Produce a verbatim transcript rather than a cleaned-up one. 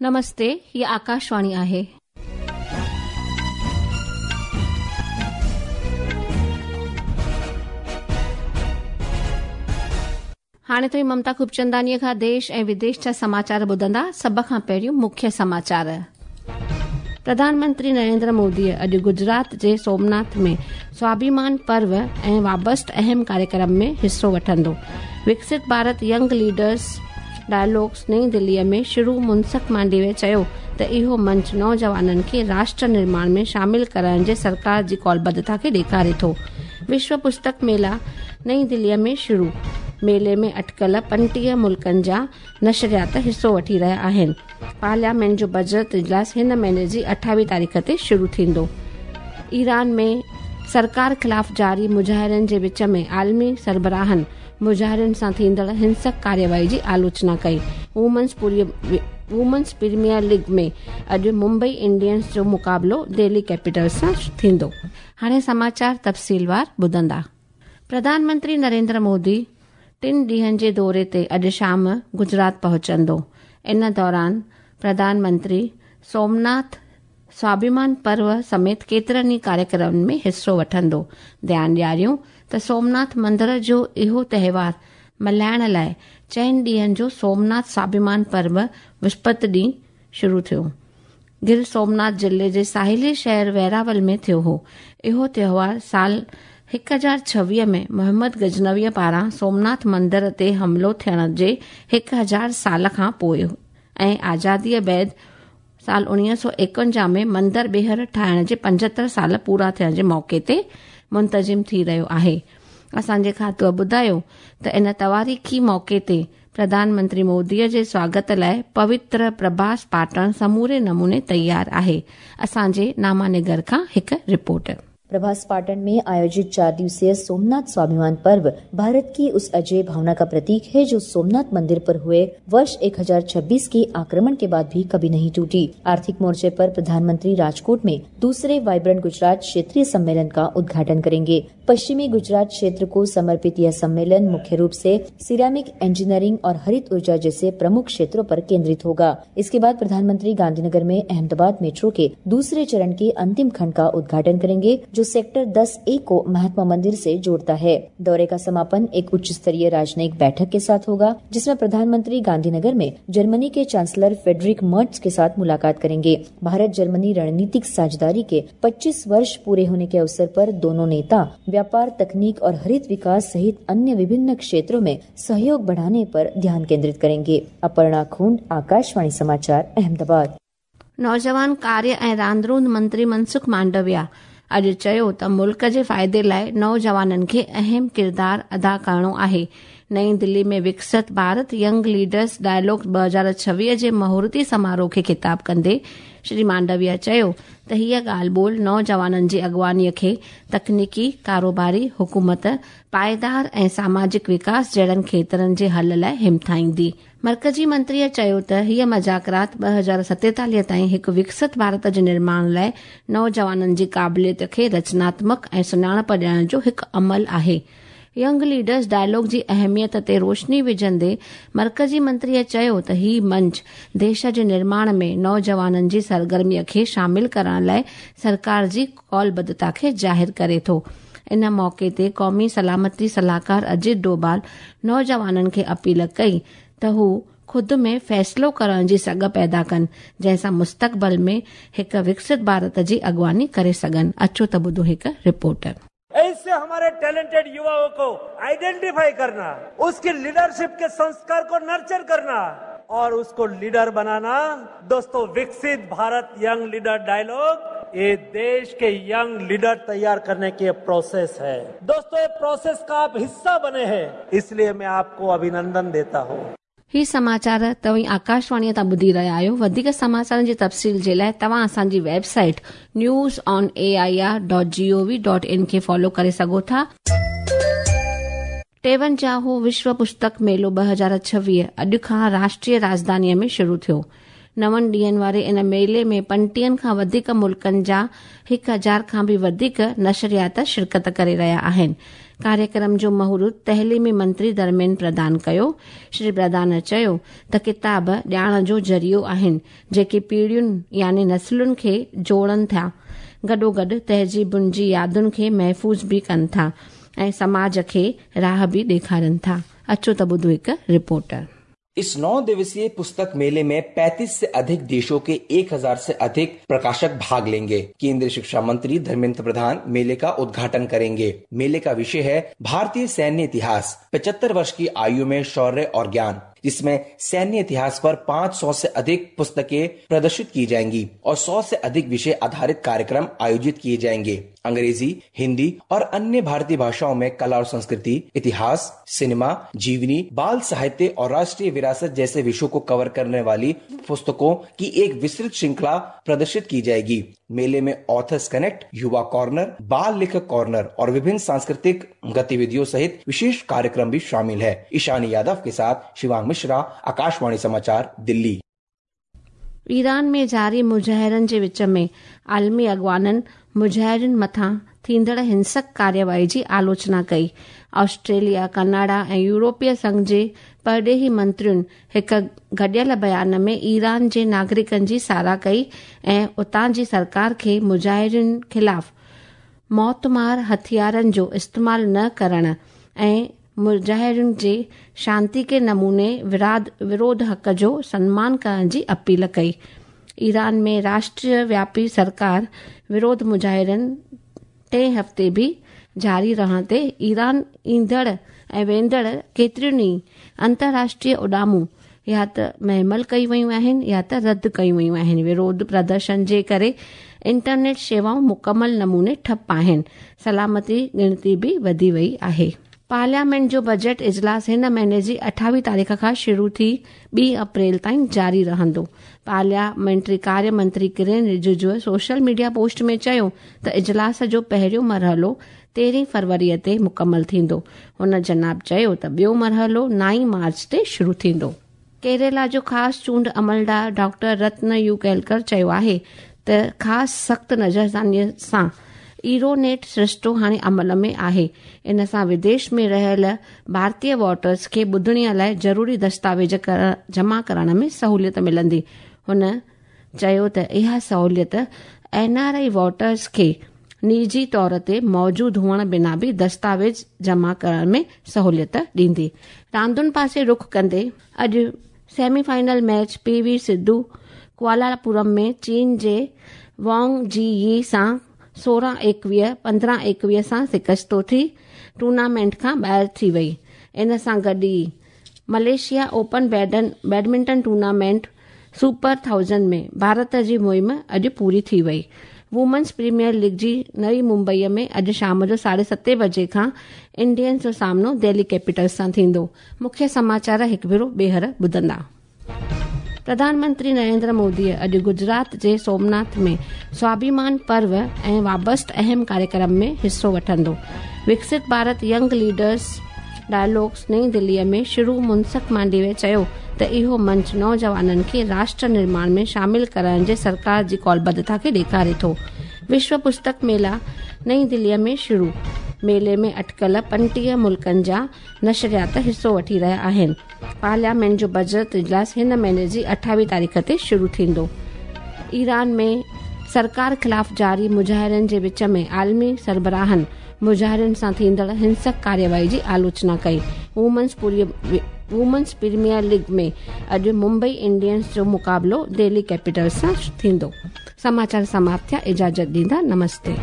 नमस्ते, ही आकाशवाणी आहे. हाणे तुव्हीं ममता खूबचंदानीअ खां देश ऐं विदेश जा समाचार ॿुधंदा। सभ खां पहिरियों मुख्य समाचार। प्रधानमंत्री नरेंद्र मोदीअ अॼु गुजरात जे सोमनाथ में स्वाभिमान पर्व ऐं वाबस्त अहम कार्यक्रम में हिसो वठंदो। विकसित भारत यंग लीडर्स डायलॉग्स नई दिल्लीअ में शुरू। मुनसुख मांडविया चयो त इहो मंच नौजवाननि खे राष्ट्र निर्माण में शामिल करण जे सरकार जी कौलबद्धता खे ॾेखारे थो। विश्व पुस्तक मेला नई दिल्लीअ में शुरू। मेले में अटकल पंटीह मुल्कनि जा नशरियात हिसो वठी रहिया आहिनि। पार्लियामेंट जो बजट इजलास हिन महीने जी अठावीह तारीख़ ते शुरू थींदो। ईरान में सरकार ख़िलाफ़ जारी मुज़ाहिरनि जे विच में आलमी सरबराहनि मुज़ाहिरनि सां थींदड़ हिंसक कार्यवाही जी आलोचना कई। वुमेन्स वुमेन्स प्रीमियर लीग में अॼु मुंबई इंडियंस जो मुक़ाबिलो दिल्ली कैपिटल्स सां थींदो। हाणे समाचार तफ़सीलवार ॿुधंदा। प्रधानमंत्री नरेंद्र मोदी टिनि ॾींहनि जे दौरे ते अॼु शाम गुजरात पहुचंदो। इन दौरान प्रधानमंत्री सोमनाथ स्वाभिमान पर्व समेत केतिरनि ई कार्यक्रमनि में हिसो वठंदो। ध्यानु ॾियारियूं त सोमनाथ मंदिर जो इहो त्योहार मल्हाइण लाइ चइनि ॾींहनि जो सोमनाथ स्वाभिमान पर्व विस्पति ॾींहुं शुरू थियो। गिर सोमनाथ ज़िले जे साहिली शहर वेरावल में थियो हो। इहो त्योहार साल हिकु हज़ार छवीह में मोहम्मद गजनवीअ पारां सोमनाथ मंदिर ते हमलो थियण जे हिकु हज़ार साल खां पोइ ऐं आज़ादीअ बाद साल उणिवीह सौ एकवंजाह में मंदिर ॿीहर ठाहिण जे पंजहतरि साल पूरा थियण जे मौक़े ते मुंतज़िम थी रहियो आहे। असांजे खातूअ ॿुधायो त इन तवारीख़ी मौक़े ते प्रधानमंत्री मोदीअ जे स्वागत लाइ पवित्र प्रभास पाटण समूरे नमूने तयारु आहे। असांजे नामानिगर खां हिकु रिपोर्ट। प्रभास पाटन में आयोजित चार दिवसीय सोमनाथ स्वाभिमान पर्व भारत की उस अजय भावना का प्रतीक है जो सोमनाथ मंदिर पर हुए वर्ष एक हजार छब्बीस के आक्रमण के बाद भी कभी नहीं टूटी। आर्थिक मोर्चे पर प्रधानमंत्री राजकोट में दूसरे वाइब्रेंट गुजरात क्षेत्रीय सम्मेलन का उद्घाटन करेंगे। पश्चिमी गुजरात क्षेत्र को समर्पित यह सम्मेलन मुख्य रूप से सिरेमिक इंजीनियरिंग और हरित ऊर्जा जैसे प्रमुख क्षेत्रों पर केंद्रित होगा। इसके बाद प्रधानमंत्री गांधीनगर में अहमदाबाद मेट्रो के दूसरे चरण के अंतिम खंड का उद्घाटन करेंगे जो सेक्टर दस ए को महात्मा मंदिर से जोड़ता है। दौरे का समापन एक उच्च स्तरीय राजनयिक बैठक के साथ होगा जिसमें प्रधानमंत्री गांधीनगर में जर्मनी के चांसलर फेडरिक मर्ट्स के साथ मुलाकात करेंगे। भारत जर्मनी रणनीतिक साझेदारी के पच्चीस वर्ष पूरे होने के अवसर पर दोनों नेता व्यापार, तकनीक और हरित विकास सहित अन्य विभिन्न क्षेत्रों में सहयोग बढ़ाने पर ध्यान केंद्रित करेंगे। अपर्णा खूंड, आकाशवाणी समाचार, अहमदाबाद। नौजवान कार्य ऐं रांदरूंद मंत्री मनसुख मांडविया अॼु चयो त मुल्क जे फ़ाइदे लाइ नौजवाननि खे अहम किरदारु अदा करिणो आहे। नई दिल्ली में विकसित भारत यंग लीडर्स डायलॉग ॿ हज़ार छवीह जे मुहूर्ती समारोह खे ख़िताब कंदे श्री मांडविया चयो त हीअ ॻाल्हि ॿोल नौजवाननि जी अॻुवानीअ खे तकनीकी, कारोबारी, हुकूमत, पाइदार ऐं सामाजिक विकास जहिड़नि खेतरनि जे हल लाइ हिमथाईंदी। मर्कज़ी मंत्रीअ चयो त हीअ मज़ाकरात ॿ हज़ार सतेतालीह ताईं हिकु विकसित भारत जे निर्माण लाइ नौजवाननि जी क़ाबिलियत खे रचनात्मक ऐं सुञाणप ॾियण जो हिकु अमल आहे। यंग लीडर्स डायलॉग जी अहमियत ते रोशनी विझंदे मर्कज़ी मंत्रीअ चयो त ही मंच देश जे निर्माण में नौजवाननि जी सरगर्मीअ खे शामिल करण लाइ सरकार जी कौलबद्धता खे ज़ाहिर करे थो। इन मौक़े ते क़ौमी सलामती सलाहकार अजित डोभाल नौजवाननि खे अपील कई त हू ख़ुदि में फ़ैसिलो करण जी सघ पैदा कनि जंहिंसां मुस्तक़बिल में हिकु विकसित भारत जी अॻुवानी करे सघनि। अचो त ॿुधो हिकु रिपोर्ट। ऐसे हमारे टैलेंटेड युवाओं को आइडेंटिफाई करना, उसकी लीडरशिप के संस्कार को नर्चर करना और उसको लीडर बनाना। दोस्तों, विकसित भारत यंग लीडर डायलॉग ये देश के यंग लीडर तैयार करने की प्रोसेस है। दोस्तों, ये प्रोसेस का आप हिस्सा बने हैं, इसलिए मैं आपको अभिनंदन देता हूँ। ही समाचार तव्हीं आकाशवाणीअ तां ॿुधी रहिया आहियो। वधीक समाचारनि जी तफ़सील जे लाइ तव्हां असांजी website news on A I R dot G O V dot in खे फॉलो करे सघो था। टेवंजाहो विश्व पुस्तक मेलो ॿ हज़ार छवीह अॼु खां राष्ट्रीय राजधानीअ में शुरू थियो। नवनि ॾींहनि वारे इन मेले में पंटीहनि खां वधीक मुल्कनि जा हिकु हज़ार खां बि वधीक नशरियात शिरकत करे रहिया आहिनि। कार्यक्रम जो मुहूर्त तइलीमी मंत्री धर्मेंद्र प्रधान कयो। श्री प्रधान चयो त किताब ॼाण जो ज़रियो आहिनि, जेके पीढ़ियुनि यानी नस्लुनि खे जोड़नि था, गॾोगॾु तहज़ीबुनि जी यादुनि खे महफ़ूज़ बि कनि था ऐं समाज खे राह बि ॾेखारनि था। अचो त ॿुधो हिकु रिपोर्ट। इस नौ दिवसीय पुस्तक मेले में पैंतीस से अधिक देशों के एक हजार से अधिक प्रकाशक भाग लेंगे। केंद्रीय शिक्षा मंत्री धर्मेंद्र प्रधान मेले का उद्घाटन करेंगे। मेले का विषय है भारतीय सैन्य इतिहास, पचहत्तर वर्ष की आयु में शौर्य और ज्ञान, जिसमें सैन्य इतिहास पर पाँच सौ से अधिक पुस्तकें प्रदर्शित की जाएंगी और सौ से अधिक विषय आधारित कार्यक्रम आयोजित किए जाएंगे। अंग्रेजी, हिंदी और अन्य भारतीय भाषाओं में कला और संस्कृति, इतिहास, सिनेमा, जीवनी, बाल साहित्य और राष्ट्रीय विरासत जैसे विषयों को कवर करने वाली पुस्तकों की एक विस्तृत श्रृंखला प्रदर्शित की जाएगी। मेले में ऑथर्स कनेक्ट, युवा कॉर्नर, बाल लेखक कॉर्नर और विभिन्न सांस्कृतिक गतिविधियों सहित विशेष कार्यक्रम भी शामिल है। ईशानी यादव के साथ शिवांग मिश्रा, आकाशवाणी समाचार, दिल्ली। ईरान में जारी मुज़ाहिरनि जे विच में आलमी अॻवाननि मुज़ाहिरनि मथां थींदड़ हिंसक कार्यवाही जी आलोचना कई। ऑस्ट्रेलिया, कनाडा ऐं यूरोपीय संघ जे परॾेही मंत्रियुनि हिकु गॾियल बयान में ईरान जे नागरिकनि जी सराह कई ऐं उतां जी सरकार खे मुज़ाहिरनि ख़िलाफ़ मौतमार हथियारनि जो इस्तेमालु न करण ऐं मुज़ाहिरनि जे शांति के नमूने विराध विरोध हक़ जो सम्मान करण जी अपील कई। ईरान में राष्ट्रीय व्यापी सरकार विरोध मुज़ाहिरनि टे हफ़्ते बि जारी रहण ते ईरान ईंदड़ ऐं वेंदड़ केतिरियुनि ई अंतर्राष्ट्रीय उॾामूं या त महमल कई वयूं आहिनि या त रद्द कयूं वयूं आहिनि। विरोध प्रदर्शन जे करे इंटरनेट शेवाऊं मुकमल नमूने ठप आहिनि। सलामती गिणती बि वधी वई आहे। पार्लियामेंट जो बजट इजलास हिन महीने जी अठावीह तारीख़ खां शुरू थी ॿी अप्रैल ताईं जारी रहंदो। पार्लियामेंट्री कार्य मंत्री Kiren Rijiju social media post में चयो त इजलास जो पहिरियों मरहलो तेरहीं फरवरीअ ते मुकमल थींदो। हुन जनाब चयो त ॿियो मरहलो नाई मार्च ते शुरू थींदो। केरला जो ख़ासि चूंड अमलदार डॉक्टर रत्न you केलकर चयो आहे त ख़ासि सख़्तु नज़रसानीअ सां ईरोनेट सरिश्तो हाणे अमल में आहे। इन सां विदेश में रहियल भारतीय वोटर्स खे ॿुधणीअ लाइ ज़रूरी दस्तावेज़ जमा करण में सहूलियत मिलंदी। हुन चयो त इहा सहूलियत एन आर I voters खे निजी तौर ते मौजूद हुअण बिना बि दस्तावेज़ जमा करण में सहूलियत ॾींदी। रांदुनि पासे रुख कंदे अॼु semi final match P V Sindhu Kuala Lumpur में चीन जे वांग जी यी सां सोरहं एकवीह पंद्रहं एकवीह सां शिकस्तो थी टूर्नामेंट खां ॿाहिरि थी वई। इन सां गॾु ई मलेशिया ओपन बैडन badminton tournament super thousand में भारत जी मुहिम अॼु पूरी थी वई। वुमेन्स प्रीमियर लीग जी नई मुंबईअ में अॼु शाम जो साढे सते बजे खां इंडियंस जो सामनो दिल्ली कैपिटल्स सां थींदो। मुख्य समाचार हिकु भेरो ॿीहर ॿुधंदा। प्रधानमंत्री नरेंद्र मोदी अॼु गुजरात जे सोमनाथ में स्वाभिमान पर्व ऐं वाबस्त अहम कार्यक्रम में हिसो वठंदो। विकसित भारत यंग लीडर्स डायलॉग्स नई दिल्लीअ में शुरू मुनसुख मांडविया चयो त इहो मंच नौजवाननि खे राष्ट्र निर्माण में शामिल करण जे सरकार जी कौलबद्धता खे ॾेखारे थो। विश्व पुस्तक मेला नई दिल्लीअ में शुरू। मेले में अटकल पंटीह मुल्कनि जा नशरियात हिसो वठी रहिया आहिनि। पार्लियामेंट जो बजट इजलास हिन महीने जी अठावीह तारीख़ ते शुरू थींदो। ईरान में सरकार ख़िलाफ़ जारी मुज़ाहिरनि जे विच में आलमी सरबराहनि मुज़ाहिरनि सां थींदड़ हिंसक कार्यवाही जी आलोचना कई। वुमेन्स वुमेन्स प्रीमियर लीग में अॼु मुंबई इंडियंस जो मुक़ाबिलो दिल्ली कैपिटल्स सां थींदो। समाचार समाप्त थिया। इजाज़त ॾींदा। नमस्ते।